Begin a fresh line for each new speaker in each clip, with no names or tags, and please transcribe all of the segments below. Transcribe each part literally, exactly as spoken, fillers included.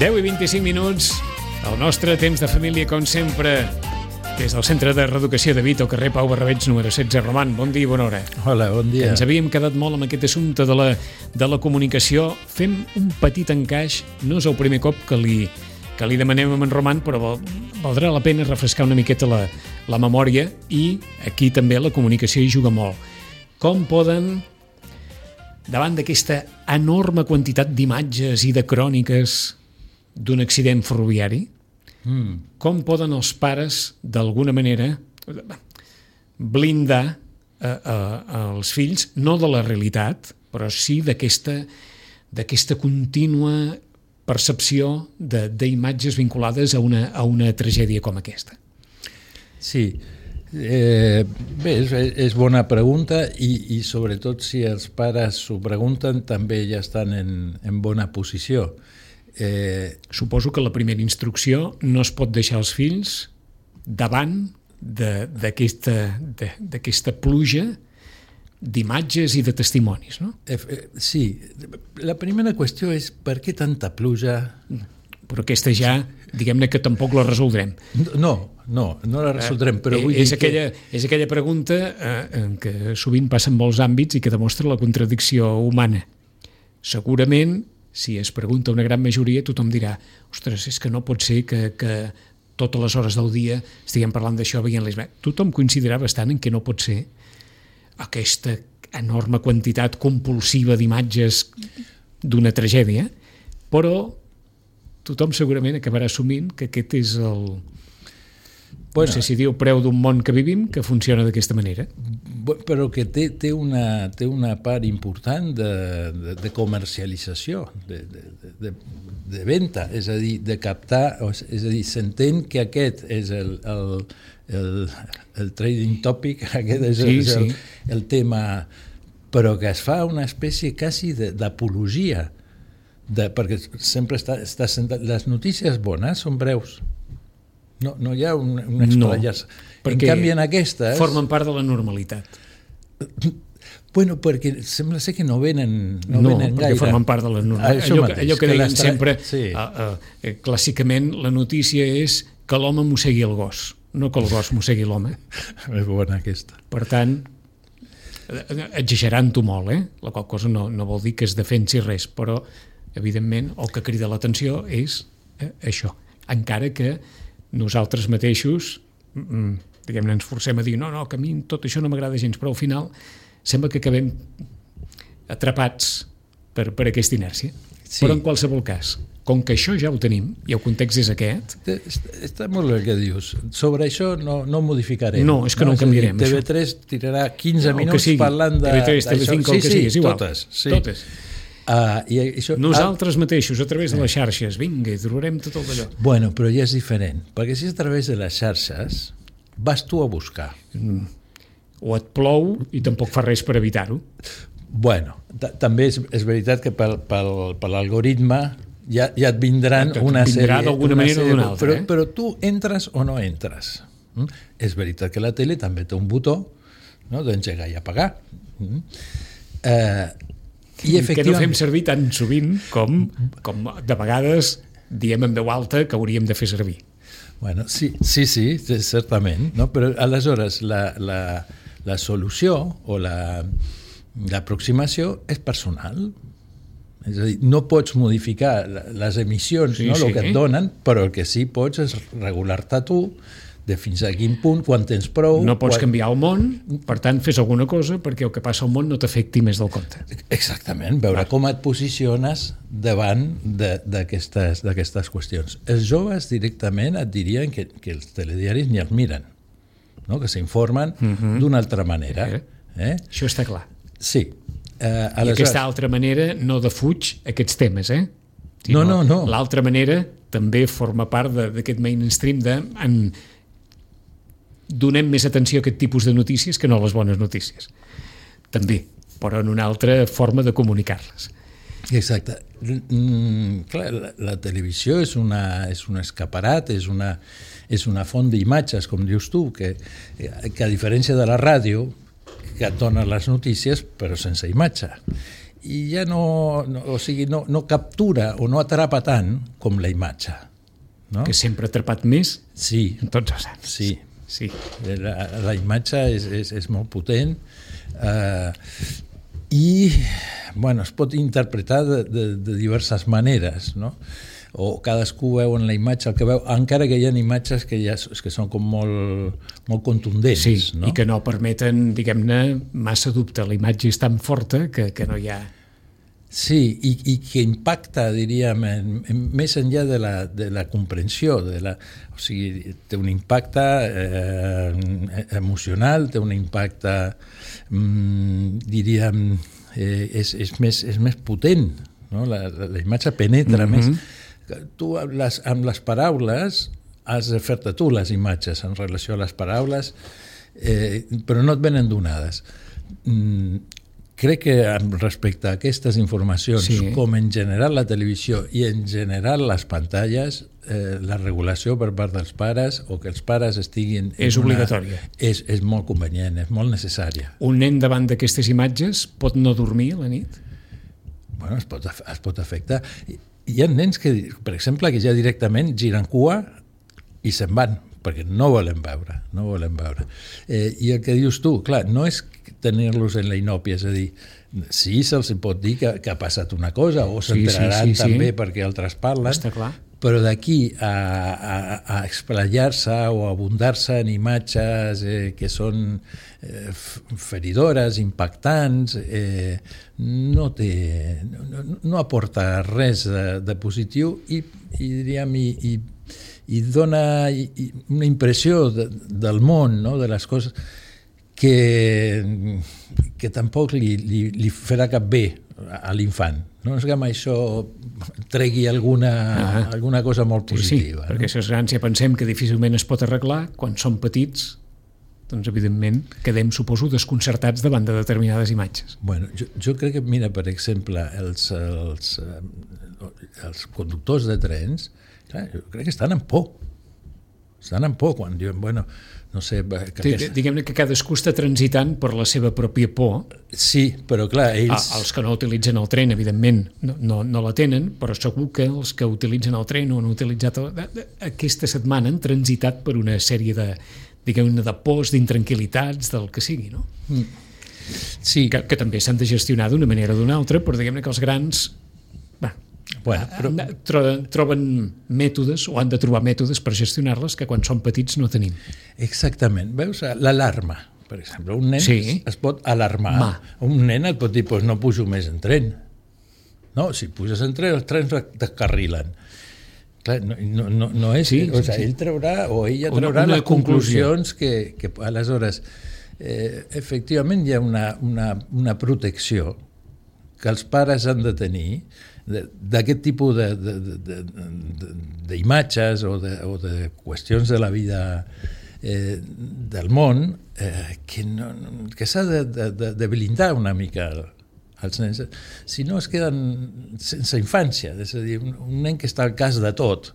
deu i vint-i-cinc minuts, el nostre temps de família, com sempre, des del Centre de Reeducació de Vito, carrer Pau Barrabets, número setze. Roman, bon dia i bona hora.
Hola, bon dia.
Ens havíem quedat molt amb aquest assumpte de la, de la comunicació. Fem un petit encaix, no és el primer cop que li, que li demanem a en Roman, però val, valdrà la pena refrescar una miqueta la, la memòria, i aquí també la comunicació hi juga molt. Com poden, davant d'aquesta enorme quantitat d'imatges i de cròniques d'un accident ferroviari, mm. com poden els pares, d'alguna manera, blindar eh, eh, els fills, no de la realitat, però sí d'aquesta, d'aquesta contínua percepció de, d'imatges vinculades a una, a una tragèdia com aquesta?
Sí, eh, bé, és, és bona pregunta i, i sobretot si els pares s'ho pregunten també ja estan en, en bona posició.
Eh, Suposo que la primera instrucció no es pot deixar els fills davant de, d'aquesta, de, d'aquesta pluja d'imatges i de testimonis, no?
Eh, sí, la primera qüestió és per què tanta pluja?
Però aquesta ja, diguem-ne que tampoc la resoldrem.
No, no, no la resoldrem, però
eh,
vull
és
dir
aquella,
que...
És aquella pregunta eh, que sovint passa en molts àmbits i que demostra la contradicció humana. Segurament, si es pregunta una gran majoria, tothom dirà: ostres, és que no pot ser que, que totes les hores del dia estiguem parlant d'això, veient les... Tothom coincidirà bastant en que no pot ser aquesta enorme quantitat compulsiva d'imatges d'una tragèdia, però tothom segurament acabarà assumint que aquest és el... Bueno, no sé si diu preu d'un món que vivim, que funciona d'aquesta manera.
Però que té, té, una, té una part important de, de, de comercialització, de, de, de, de venda, és a dir, de captar, és a dir, s'entén que aquest és el, el, el, el trading topic, aquest és,
sí,
és el,
sí.
el tema, però que es fa una espècie quasi d'apologia, de, perquè sempre està, està sentat, les notícies bones són breus. No, no hi ha un, un explayar-se.
No,
en canvi, en aquestes...
formen part de la normalitat.
Bueno, perquè sembla ser que no venen, no,
no
venen
perquè
gaire.
formen part de la normalitat. Allò, mateix, allò que, que deien sempre, sí. uh, uh, clàssicament, la notícia és que l'home mossegui el gos, no que el gos mossegui l'home.
És bona aquesta.
Per tant, exagerant-ho molt, eh? La qual cosa no, no vol dir que es defensi res, però, evidentment, el que crida l'atenció és eh, això. Encara que nosaltres mateixos, diguem-ne, ens forcem a dir no, no, que a mi tot això no m'agrada gens, però al final sembla que acabem atrapats per, per aquesta inèrcia. Sí. Però en qualsevol cas, com que això ja ho tenim i el context és aquest...
Està molt bé el que dius. Sobre això no, no modificarem.
No, és que no, no ho canviarem.
T V tres tirarà quinze no, minuts parlant de...
T V tres, T V cinc, el que sigui, és igual.
Totes. Sí.
Totes.
Uh, i això,
nosaltres mateixos, a través de les xarxes, vinga, i trobarem tot el d'allò.
Bueno, però ja és diferent, perquè si és a través de les xarxes vas tu a buscar.
Mm. O et plou i tampoc fa res per evitar-ho.
Bueno, també és, és veritat que pel, pel, per l'algoritme ja, ja et vindran et una
vindrà
sèrie...
d'alguna manera o d'una altra.
Però,
eh?
però tu entres o no entres. Mm? És veritat que la tele també té un botó, no?, d'engegar i apagar. Mm? Eh... I
que no fem servir tan sovint com, com de vegades diem en veu alta que hauríem de fer servir.
Bueno, sí, sí, sí, certament, no? Però aleshores la, la, la solució o la, l'aproximació és personal. És a dir, no pots modificar les emissions, sí, no? Sí. El que et donen, però el que sí pots és regular-te tu de fins a quin punt, quan tens prou...
No pots
quan...
canviar el món, per tant, fes alguna cosa perquè el que passa al món no t'afecti més del compte.
Exactament, veure com et posiciones davant d'aquestes d'aquestes qüestions. Els joves directament et dirien que, que els telediaris ni els miren, no? Que s'informen uh-huh. d'una altra manera.
Eh?
Eh?
Això està clar.
Sí.
Eh, aleshores... I aquesta altra manera no defuig aquests temes, eh?
Sinó no, no, no.
L'altra manera també forma part d'aquest mainstream de... En, donem més atenció a aquest tipus de notícies que no a les bones notícies. També, però en una altra forma de comunicar-les.
Exacte. Mm, clar, la, la televisió és, una, és un escaparat, és una, és una font d'imatges, com dius tu, que, que a diferència de la ràdio, que et dona les notícies, però sense imatge. i ja no, no, o sigui, no, no captura o no atrapa tant com la imatge. No?
Que sempre ha atrapat més
sí,
en tots els anys.
Sí,
sí.
La, la imatge és, és, és molt potent eh, i bueno, es pot interpretar de, de, de diverses maneres, no? O cadascú veu en la imatge el que veu, encara que hi ha imatges que, ja, que són com molt, molt contundents.
Sí,
no?
I que no permeten, diguem-ne, massa dubte. La imatge és tan forta que, que no hi ha...
Sí, i, i que impacta, diríem, en, en, més enllà de la, de la comprensió, de la, o sigui, té un impacte eh, emocional, té un impacte, mm, diríem, eh, és, és, més, és més potent, no? La, la, la imatge penetra mm-hmm. més. Tu amb les, amb les paraules has de fer-te tu les imatges en relació a les paraules, eh, però no et venen donades. Mm, crec que respecte a aquestes informacions, sí. com en general la televisió i en general les pantalles, eh, la regulació per part dels pares o que els pares estiguin...
És una, obligatòria.
És, és molt convenient, és molt necessària.
Un nen davant d'aquestes imatges pot no dormir a la nit?
Bueno, es pot, es pot afectar. Hi ha nens que, per exemple, que ja directament giren cua i se'n van, perquè no volen veure, no volen veure. Eh, I el que dius tu, clar, no és tenir-los en la inòpia, és a dir, sí, se'ls pot dir que, que ha passat una cosa, o s'enteraran sí, sí, sí, també sí. perquè altres parlen,
està clar.
Però d'aquí a, a, a explayar-se o a abundar-se en imatges eh, que són eh, feridores, impactants, eh, no, té, no, no aporta res de, de positiu i, i diríem, i, i, i dona i, i una impressió de, del món, no? De les coses que, que tampoc li, li, li farà cap bé a l'infant. No és que amb això tregui alguna, ah, alguna cosa molt positiva.
Sí, sí, perquè no? Si els grans ja pensem que difícilment es pot arreglar, quan són petits, doncs evidentment quedem, suposo, desconcertats davant de determinades imatges.
Bueno, jo, jo crec que, mira, per exemple, els, els, els conductors de trens, clar, jo crec que estan en por. Estan en por quan diuen, bueno, no sé... Que
aquesta... Diguem-ne que cadascú està transitant per la seva pròpia por.
Sí, però clar, ells...
Ah, els que no utilitzen el tren, evidentment, no, no, no la tenen, però segur que els que utilitzen el tren o han utilitzat... El... Aquesta setmana han transitat per una sèrie de, diguem-ne, de pors, d'intranquil·litats, del que sigui, no?
Mm. Sí.
Que, que també s'han de gestionar d'una manera o d'una altra, però diguem-ne que els grans...
Bueno,
però... troben mètodes o han de trobar mètodes per gestionar-les que quan són petits no tenim.
Exactament. Veus, l'alarma, per exemple, un nen sí. es pot alarmar.
Ma.
Un nen et pot dir, pues no pujo més en tren. No, si puges en tren, els trens descarrilen. Clar, no, no, no, no és... Sí, o sigui, sí. Ell traurà, o ella traurà una, una les conclusions que, que aleshores, eh, efectivament hi ha una, una, una protecció que els pares han de tenir d'aquest tipus d'imatges o, de, o de qüestions de la vida eh, del món eh, que, no, que s'ha de, de, de blindar una mica els nens. Si no es queden sense infància, és a dir, un, un nen que està al cas de tot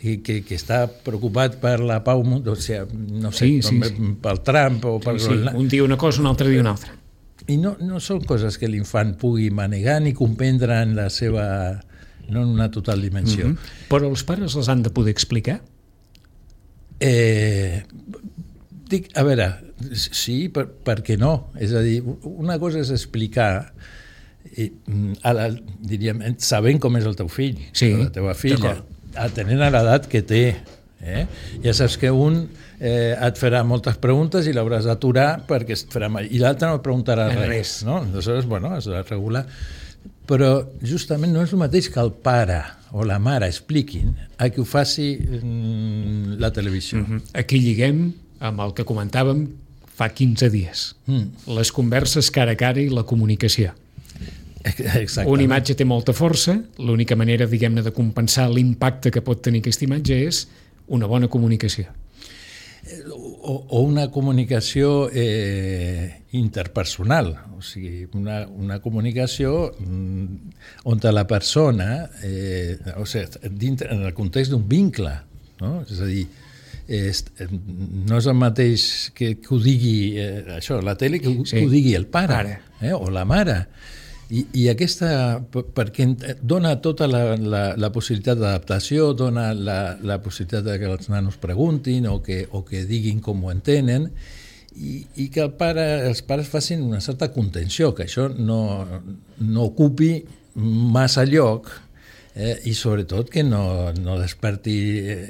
i que, que està preocupat per la pau, o sigui, no sé,
sí, sí, sí.
pel Trump o per...
Sí, sí. Un dia una cosa, un altre dia una altra.
I no, no són coses que l'infant pugui manegar ni comprendre en la seva... no en una total dimensió.
Mm-hmm. Però els pares les han de poder explicar?
Eh, dic, a veure, sí, per, per què no? És a dir, una cosa és explicar, i, a la, diríem, sabent com és el teu fill,
sí,
la teva filla, atenent a l'edat que té. Eh? Ja saps que un eh, et farà moltes preguntes i l'hauràs d'aturar perquè et farà mal, i l'altre no et preguntarà res, res. No? Aleshores, bueno, has de regular, però justament no és el mateix que el pare o la mare expliquin a qui ho faci mm, la televisió.
Mm-hmm. Aquí lliguem amb el que comentàvem fa quinze dies, mm. les converses cara a cara i la comunicació.
Exactament.
Una imatge té molta força, l'única manera, diguem-ne, de compensar l'impacte que pot tenir aquesta imatge és una bona comunicació.
O, o una comunicació eh, interpersonal, o sigui, una, una comunicació mm, on la persona, eh, o sigui, dintre, en el context d'un vincle, no? És a dir, és, no és el mateix que, que ho digui eh, això, la tele, que, sí. que ho digui el pare eh, o la mare. I, i aquesta, perquè dona tota la, la, la possibilitat d'adaptació, dona la, la possibilitat de que els nanos preguntin o que, o que diguin com ho entenen, i, i que el pare, els pares facin una certa contenció, que això no, no ocupi massa lloc, eh, i sobretot que no, no desperti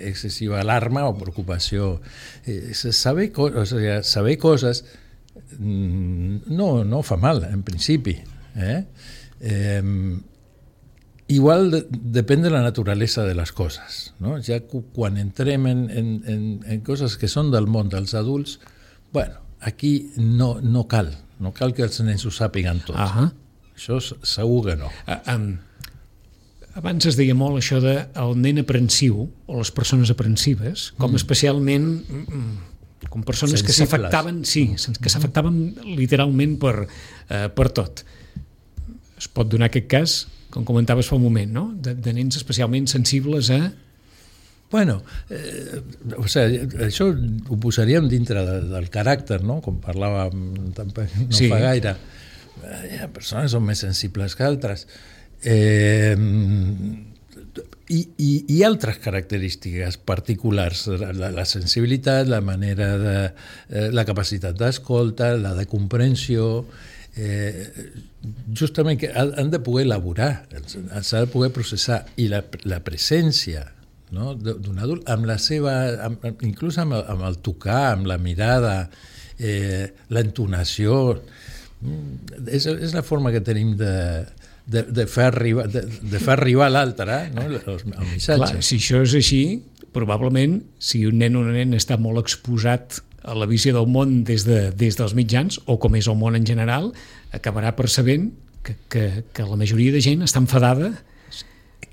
excessiva alarma o preocupació. Eh, saber, co o sigui, saber coses no, no fa mal, en principi. Eh? Eh, igual de, depèn de la naturalesa de les coses, no? Ja quan entrem en, en, en, en coses que són del món dels adults, bueno, aquí no, no cal, no cal que els nens ho sàpiguen tot.
Uh-huh.
Això segur que no.
Uh, um, abans es deia molt això de el nen aprensiu o les persones aprensives, com mm. especialment mm, com persones sensibles. Que s'afectaven, sí, que s'afectaven literalment per, uh, per tot. Es pot donar aquest cas, com comentaves fa un moment, no? de, de nens especialment sensibles a...
Bueno, eh, o sigui, això ho posaríem dintre de, del caràcter, no? Com parlàvem no sí. fa gaire. Hi ha persones que són més sensibles que altres. Eh, i, i, i altres característiques particulars, la, la sensibilitat, la manera de... Eh, la capacitat d'escolta, la de comprensió... Eh, justament que han de poder elaborar, s'ha de poder processar, i la, la presència, no? d'un adult amb la seva, amb, inclús amb el, amb el tocar, amb la mirada, eh, l'entonació, és, és la forma que tenim de, de, de, fer, arribar, de, de fer arribar a l'altre, no? el, el missatge.
Clar, si això és així, probablement, si un nen o una nena està molt exposat a la visió del món des, de, des dels mitjans, o com és el món en general, acabarà percebent que, que, que la majoria de gent està enfadada,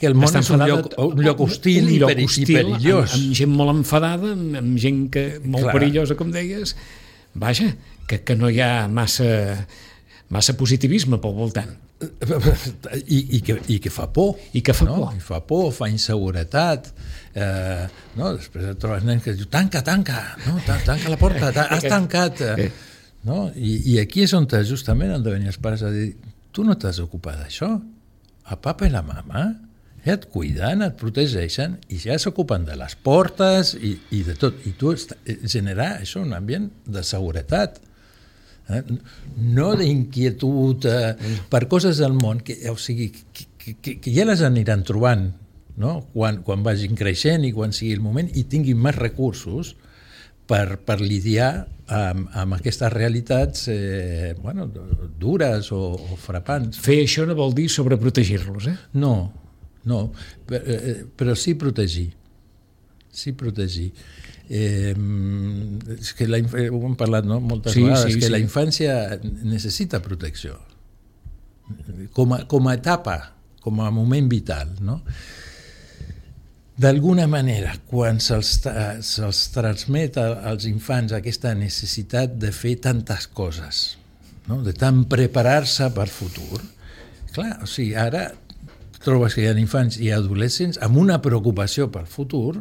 que el món és un lloc, un lloc hostil, un lloc i, hostil i perillós.
Amb, amb gent molt enfadada, amb, amb gent que, molt Clar. perillosa, com deies. Vaja, que, que no hi ha massa, massa positivisme pel voltant.
I, i, que, i que fa por.
I que fa
no?
por.
I fa por, fa inseguretat. Eh, no? Després et trobes nens que diu tanca, tanca, no? tanca la porta, has tancat. No? I, I aquí és on justament han de venir els pares a dir tu no t'has ocupat d'això? El papa i la mama ja et cuiden, et protegeixen i ja s'ocupen de les portes i, i de tot. I tu generar això, un ambient de seguretat, eh? no d'inquietud eh, per coses del món que, o sigui, que, que, que ja les aniran trobant, no? quan, quan vagin creixent i quan sigui el moment i tinguin més recursos per, per lidiar amb, amb aquestes realitats eh, bueno, dures o, o frapants.
Fer això no vol dir sobreprotegir-los, eh?
No, no, però, però sí protegir, sí protegir. Eh, és que la, ho hem parlat no? moltes sí, vegades, sí, que sí. la infància necessita protecció, com a, com a etapa, com a moment vital, no? D'alguna manera, quan se'ls, se'ls transmet als infants aquesta necessitat de fer tantes coses, no? de tant preparar-se per futur, clar, o sigui, ara trobes que hi ha infants i adolescents amb una preocupació pel futur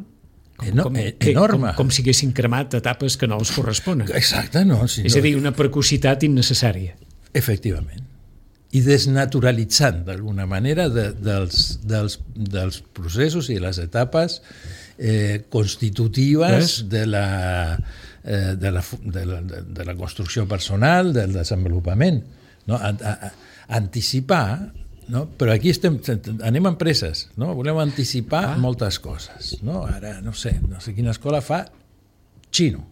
eno com, enorme.
Com, com si haguessin cremat etapes que no els corresponen.
Exacte, no. Si
és
no...
a dir, una precocitat innecessària.
Efectivament. I desnaturalitzant, d'alguna manera, de, dels, dels, dels processos i les etapes eh, constitutives de la, eh, de, la, de, la, de la construcció personal, del desenvolupament. No? A, a, a, anticipar... No? Però aquí estem, anem a empreses, no? Volem anticipar ah. moltes coses. No? Ara, no sé, no sé quina escola fa xino.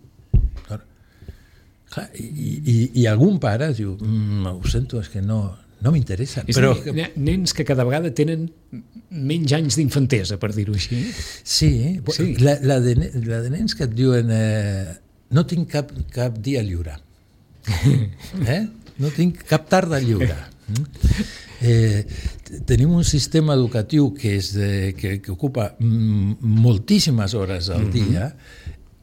I, i, i algun pare diu, mmm, ho sento, és que no, no m'interessa.
Però... Dir, nens que cada vegada tenen menys anys d'infantesa, per dir-ho així.
Sí, sí. La, la, de, la de nens que et diuen eh, no tinc cap, cap dia lliure. Eh? No tinc cap tarda lliure. Eh, tenim un sistema educatiu que, és de, que, que ocupa moltíssimes hores al dia.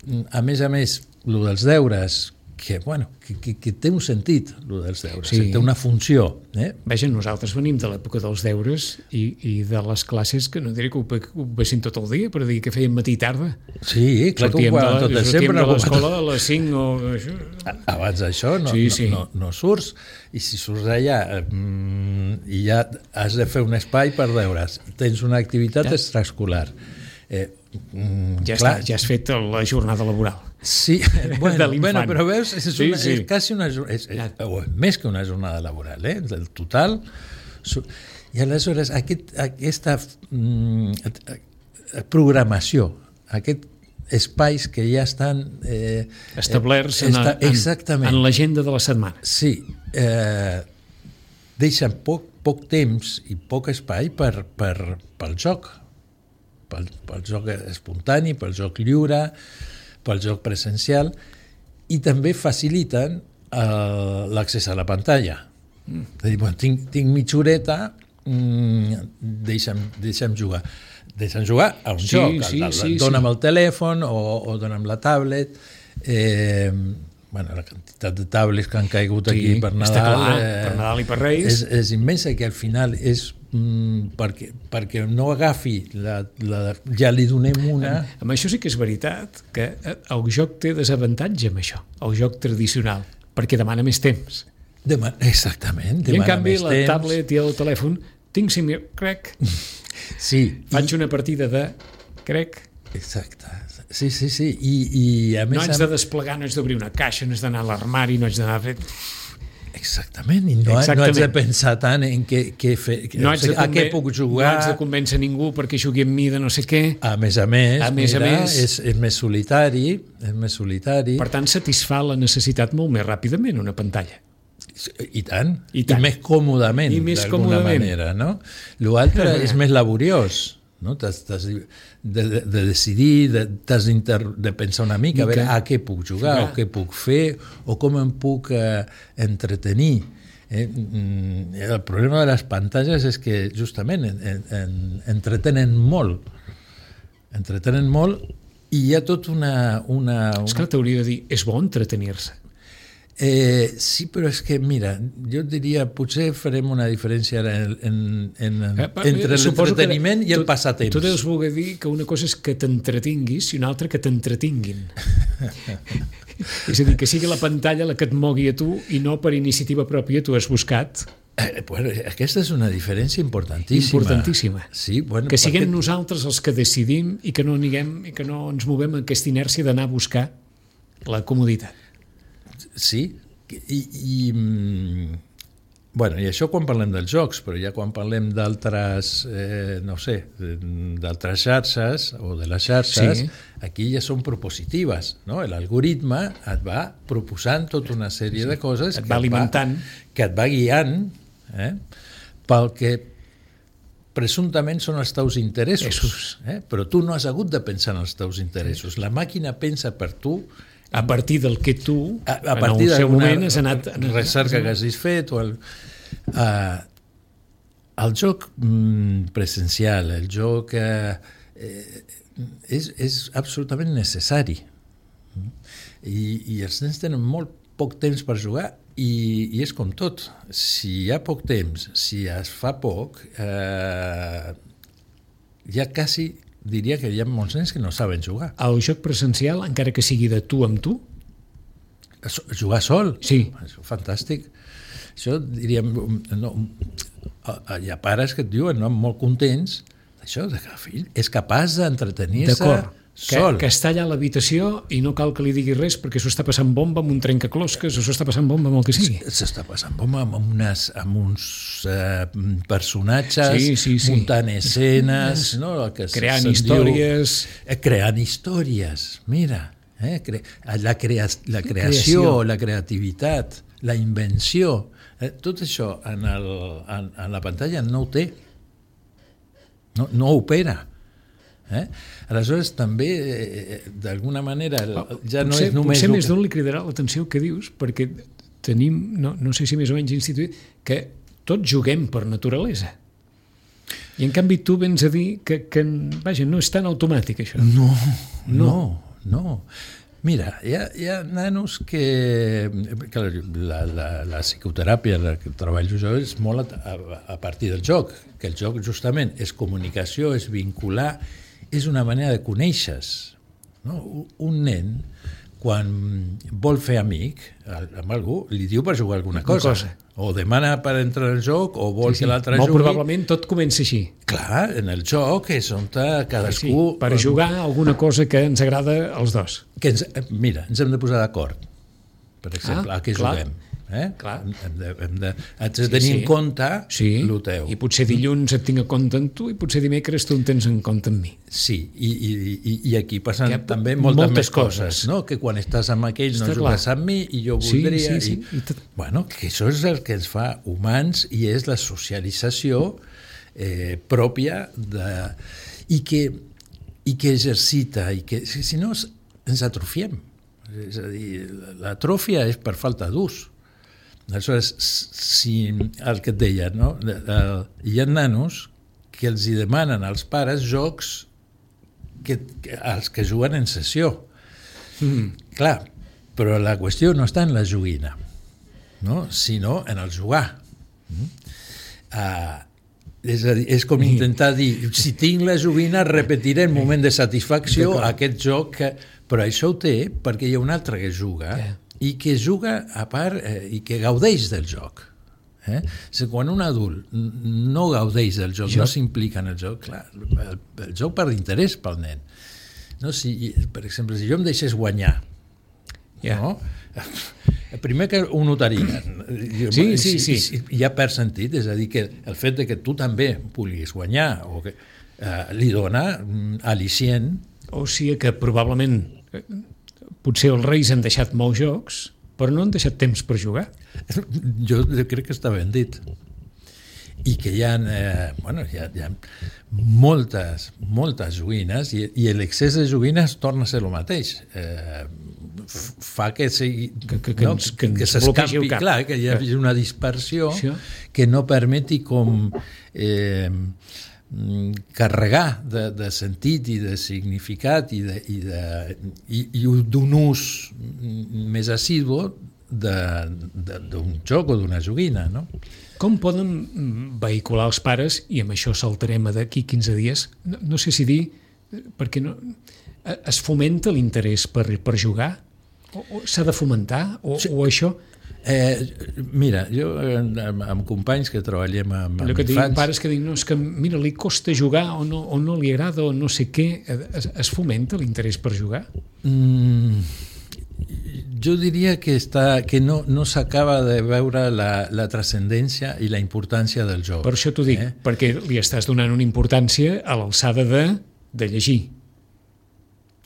Mm-hmm. A més a més, el dels deures, que, bueno, que, que, que té un sentit, el dels deures, sí. té una funció. Eh?
Veja, nosaltres venim de l'època dels deures i, i de les classes que no diré que ho, que ho vessin tot el dia, però dir que feien matí i tarda.
Sí, clar que ho poden tot de sempre.
Sortíem de l'escola a les cinc o...
Abans d'això no, sí, sí. no, no, no surts, i si surts d'allà mmm, i ja has de fer un espai per veure's. Tens una activitat ja. extraescolar. Eh, mm,
ja,
clar,
està, ja has fet la jornada laboral.
Sí, bueno, bueno però veus, és,
sí,
una,
sí.
és quasi una és, és, és, més que una jornada laboral, eh? El total. I aleshores aquest, aquesta mm, programació, aquest espais que ja estan eh,
establerts eh, esta, en, en, en l'agenda de la setmana.
Sí, eh, deixen poc, poc temps i poc espai per, per, pel joc, pel, pel joc espontani, pel joc lliure, pel joc presencial, i també faciliten eh, l'accés a la pantalla. Mm. És a dir, bueno, tinc, tinc mitja horeta, mm, deixa'm, deixa'm jugar. Deixa'm jugar a un
sí,
joc,
sí,
el, el,
sí,
dona'm
sí.
el telèfon o, o dona'm la tablet. Eh, bueno, la quantitat de tablets que han caigut sí, aquí per Nadal,
clar,
eh,
per Nadal i per Reis
és, és immensa, que al final és mm, perquè, perquè no agafi la, la, ja li donem una...
Amb, amb això sí que és veritat que el joc té desavantatge amb això, el joc tradicional, perquè demana més temps.
Dema, exactament, demana
I en canvi
més
la
temps.
tablet i el telèfon tinc cinc minuts, crec,
sí,
faig
i...
una partida de crec.
Exacte, sí, sí, sí, i, i a més...
No haig de desplegar, no haig d'obrir una caixa, no haig d'anar a l'armari, no haig d'anar a fer...
Exactament, i no, Exactament. no haig de pensar tant en què, què fer,
no
o sigui, a què puc jugar...
No haig de convèncer ningú perquè jugui amb mi de no sé què...
A més a més,
a més,
mira,
a més
és, és més solitari, és més solitari...
Per tant, satisfà la necessitat molt més ràpidament una pantalla.
I tant,
I, tant.
I més còmodament, d'alguna manera, no? L'altre és més laboriós, no? T'has, t'has de, de, de decidir, de, t'has de pensar una mica, a veure a què puc jugar, o què puc fer, o com em puc eh, entretenir. Eh? El problema de les pantalles és que justament en, en, entretenen molt, entretenen molt, i hi ha tot una... una, una...
És que t'hauria de dir, és bo entretenir-se.
Eh, sí, però és que, mira, jo diria, potser farem una diferència en, en, en, eh, entre l'entreteniment i el passatemps.
Tu deus voler dir que una cosa és que t'entretinguis i una altra que t'entretinguin. És a dir, que sigui la pantalla la que et mogui a tu i no per iniciativa pròpia tu has buscat.
Eh, bueno, aquesta és una diferència importantíssima.
Importantíssima.
Sí, bueno,
que siguem
perquè...
nosaltres els que decidim i que no niguem, i que no ens movem amb aquesta inèrcia d'anar a buscar la comoditat.
Sí, i, i, bueno, i això quan parlem dels jocs, però ja quan parlem d'altres, eh, no sé, d'altres xarxes o de les xarxes, sí. Aquí ja són propositives, no? L'algoritme et va proposant tota una sèrie sí. de coses
et va alimentant,
va, que et va guiant eh, pel que presumptament són els teus interessos, eh? Però tu no has hagut de pensar en els teus interessos, la màquina pensa per tu
a partir del que tu,
a, a partir
en el seu moment, has anat...
recerca que hagis fet, o el, uh, el joc mm, presencial, el joc uh, eh, és, és absolutament necessari. I, I els nens tenen molt poc temps per jugar i, i és com tot. Si hi ha poc temps, si es fa poc, eh, ja quasi... diria que hi ha molts nens que no saben jugar.
El joc presencial, encara que sigui de tu amb tu?
Jugar sol?
Sí.
Això és fantàstic. Això diríem... No, hi ha pares que et diuen, no, molt contents, això, que el fill és capaç d'entretenir-se sol.
Que, que està allà a l'habitació i no cal que li digui res perquè s'ho està passant bomba amb un trencaclosques o s'ho està passant bomba amb el que sigui.
S'està passant bomba amb, unes, amb uns uh, personatges,
sí, sí, sí.
muntant escenes, no? Que
creant històries.
Diu, eh, creant històries, mira. Eh? Cre la, crea la creació, creació, la creativitat, la invenció. Eh? Tot això en, el, en, en la pantalla no ho té. No, no opera. Eh? Aleshores també eh, d'alguna manera ja no
potser,
és només
potser més d'un li cridarà l'atenció que dius perquè tenim, no, no sé si més o menys instituït, que tots juguem per naturalesa i en canvi tu vens a dir que, que vaja, no és tan automàtic això.
No, no, no. Mira, hi ha, hi ha nanos que, que la, la, la psicoteràpia la que treballo jo és molt a, a partir del joc, que el joc justament és comunicació, és vincular, és una manera de conèixer-se. No? Un nen, quan vol fer amic amb algú, li diu per jugar alguna cosa. cosa. O demana per entrar al joc, o vol sí, sí. que l'altre jugui.
Molt probablement tot comença així.
Clar, en el joc és on cadascú...
Sí, per jugar alguna cosa que ens agrada als dos.
Que ens, mira, ens hem de posar d'acord, per exemple, ah, a què
clar.
juguem. Eh?
Clar.
Hem de, hem de, haig de tenir sí, sí. en compte
sí.
el teu.
I potser dilluns et tinc en compte en tu i potser dimecres tu en tens en compte en mi.
Sí, i, i, i aquí passen que, també moltes, moltes més coses, coses, no? Que quan estàs amb aquell no Està jugues clar. amb mi i jo voldria...
Sí, sí, sí.
I, I tot... Bueno, que això és el que ens fa humans i és la socialització eh, pròpia de... I que, i que exercita, i que si no ens atrofiem. És a dir, l'atròfia és per falta d'ús. Aleshores, si el que et deia, no? Hi ha nanos que els hi demanen als pares jocs que, que, als que juguen en sessió. Mm. Clar, però la qüestió no està en la joguina, no? Sinó en el jugar. Mm. Uh, és, a dir, és com intentar dir, si tinc la joguina repetiré en moment de satisfacció aquest joc, que, però això ho té perquè hi ha un altre que juga yeah. i que juga a part eh, i que gaudeix del joc. Eh? Si quan un adult no gaudeix del joc, joc. no s'implica en el joc, clar, el, el joc perd interès pel nen. No? Si, per exemple, si jo em deixés guanyar, yeah. no? primer que ho notarien.
Sí, sí, sí.
I ja perd sentit, és a dir, que el fet de que tu també puguis guanyar o que, eh, li dona al·licient.
O sigui que probablement potser els reis han deixat molts jocs, però no han deixat temps per jugar.
Jo crec que està ben dit. I que hi ha, eh, bueno, hi ha, hi ha moltes, moltes joguines i, i l'excés de joguines torna a ser el mateix. Eh, fa que sigui,
que, que, que,
no?
ens, que,
que s'escapi, clar, que hi hagi una dispersió sí. que no permeti com eh, carregar de, de sentit i de significat i, de, i, de, i, i d'un ús més assidu d'un joc o d'una joguina, no?
Com poden vehicular els pares, i amb això saltarem d'aquí quinze dies, no, no sé si dir, perquè no, es fomenta l'interès per, per jugar? O, o s'ha de fomentar? O, sí. o això...
Eh, mira, jo amb, amb companys que treballem amb, amb
Allò que
infants...
diuen pares que diuen, no, és que mira, li costa jugar o no, o no li agrada o no sé què, es, es fomenta l'interès per jugar?
Mm, jo diria que, està, que no, no s'acaba de veure la, la transcendència i la importància del joc.
Per això t'ho dic, eh? perquè li estàs donant una importància a l'alçada de, de llegir.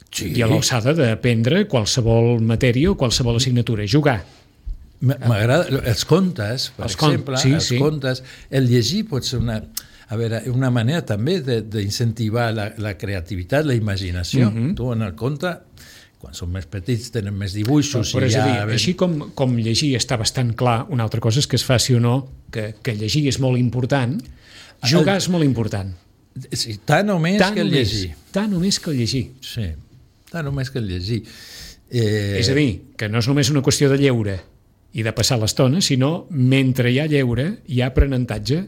Sí. I a l'alçada d'aprendre qualsevol matèria o qualsevol assignatura, jugar.
M'agrada, els contes, per
els
exemple,
con... sí,
els
sí.
contes, el llegir pot ser una, a veure, una manera també d'incentivar la, la creativitat, la imaginació. Mm-hmm. Tu en el conte, quan són més petits, tenen més dibuixos.
Però, però
i
és
ja...
a dir, així com, com llegir està bastant clar, una altra cosa és que es faci o no, que, que llegir és molt important, jugar el... és molt important.
Sí, tant o més tant que el
només,
llegir.
Tant o més que el llegir.
Sí, tant o més que el llegir. Eh...
És a dir, que no és només una qüestió de lleure i de passar l'estona, sinó mentre hi ha lleure hi ha aprenentatge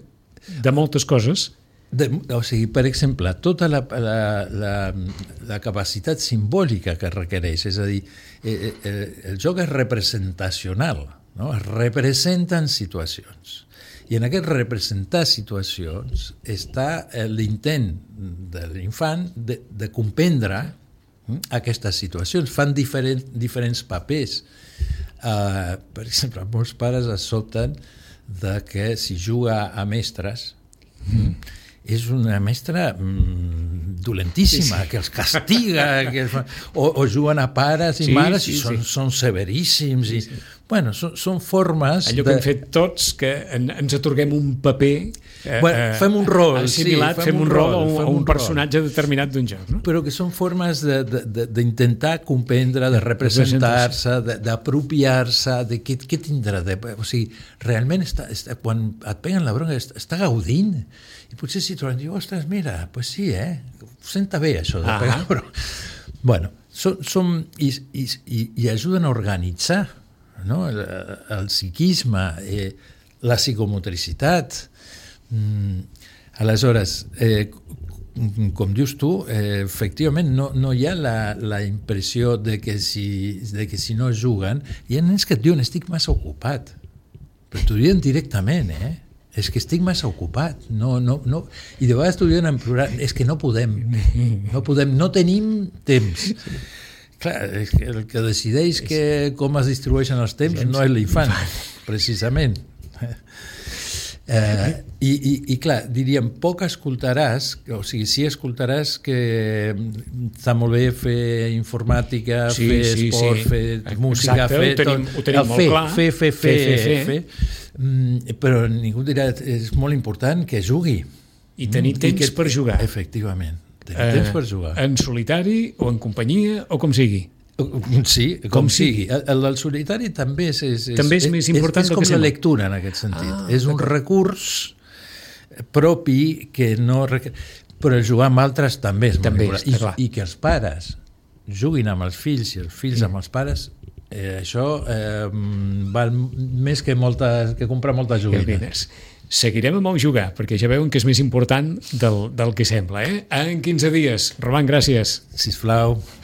de moltes coses.
De, o sigui, per exemple, tota la, la, la, la capacitat simbòlica que requereix, és a dir, eh, eh, el joc és representacional, no? Es representen situacions. I en aquest representar situacions està l'intent de l'infant de, de comprendre aquestes situacions. Fan diferent, diferents papers. Uh, per exemple, molts pares es sobten de que si juga a mestres mm. és una mestra mm, dolentíssima, sí, sí. que els castiga que els fa... o, o juguen a pares i sí, mares sí, i són, sí. són severíssims sí, sí. i bueno, són, són formes
allò que de... hem fet tots, que en, ens atorguem un paper eh,
bueno, fem un rol
assimilat, sí, fem, fem un rol a un, a un personatge rol. determinat d'un joc, no?
Però que són formes d'intentar comprendre, de representar-se, d'apropiar-se, de què, què tindrà de... o sigui, realment està, està, quan et peguen la bronca està, està gaudint i potser si troben, diu, ostres, mira, pues sí, eh? Senta bé això de pegar, ah. però... Bueno, som, som i, i, i, i ajuden a organitzar, no? el, el psiquisme, eh, la psicomotricitat. Mm, aleshores, eh, com dius tu, eh, efectivament no, no hi ha la, la impressió de que, si, de que si no juguen, hi ha nens que et diuen estic massa ocupat, però t'ho diuen directament, eh? És que estic massa ocupat, no, no, no. I de vegades t'ho diuen en plural, és que no podem, no podem, no tenim temps. Clar, el que decideix que, com es distribueixen els temps no és l'infant, precisament. Eh, i, i, I clar, diríem, poc escoltaràs, o sigui, sí escoltaràs que està molt bé fer informàtica, sí, fer sí, esport, sí. fer música,
exacte,
fer
ho tenim,
tot,
ho tenim molt
fer,
clar.
Fer, fer, fer, fer,
fer, fer.
fer. Mm, però ningú dirà, és molt important que jugui.
I tenir mm, temps i que, per jugar.
Efectivament, tenir eh, temps per jugar.
En solitari o en companyia o com sigui.
Sí, com, com sigui. El, el del solitari també és, és,
també és, és més important
és, és com la lectura en aquest sentit. Ah, és un recurs propi que no... Però jugar amb altres també és
també
molt important. I, I que els pares juguin amb els fills i els fills sí. amb els pares, eh, això eh, val més que, moltes, que comprar moltes joguines.
Seguirem amb el jugar, perquè ja veuen que és més important del, del que sembla. Eh? En quinze dies. Roman, gràcies.
Sisplau.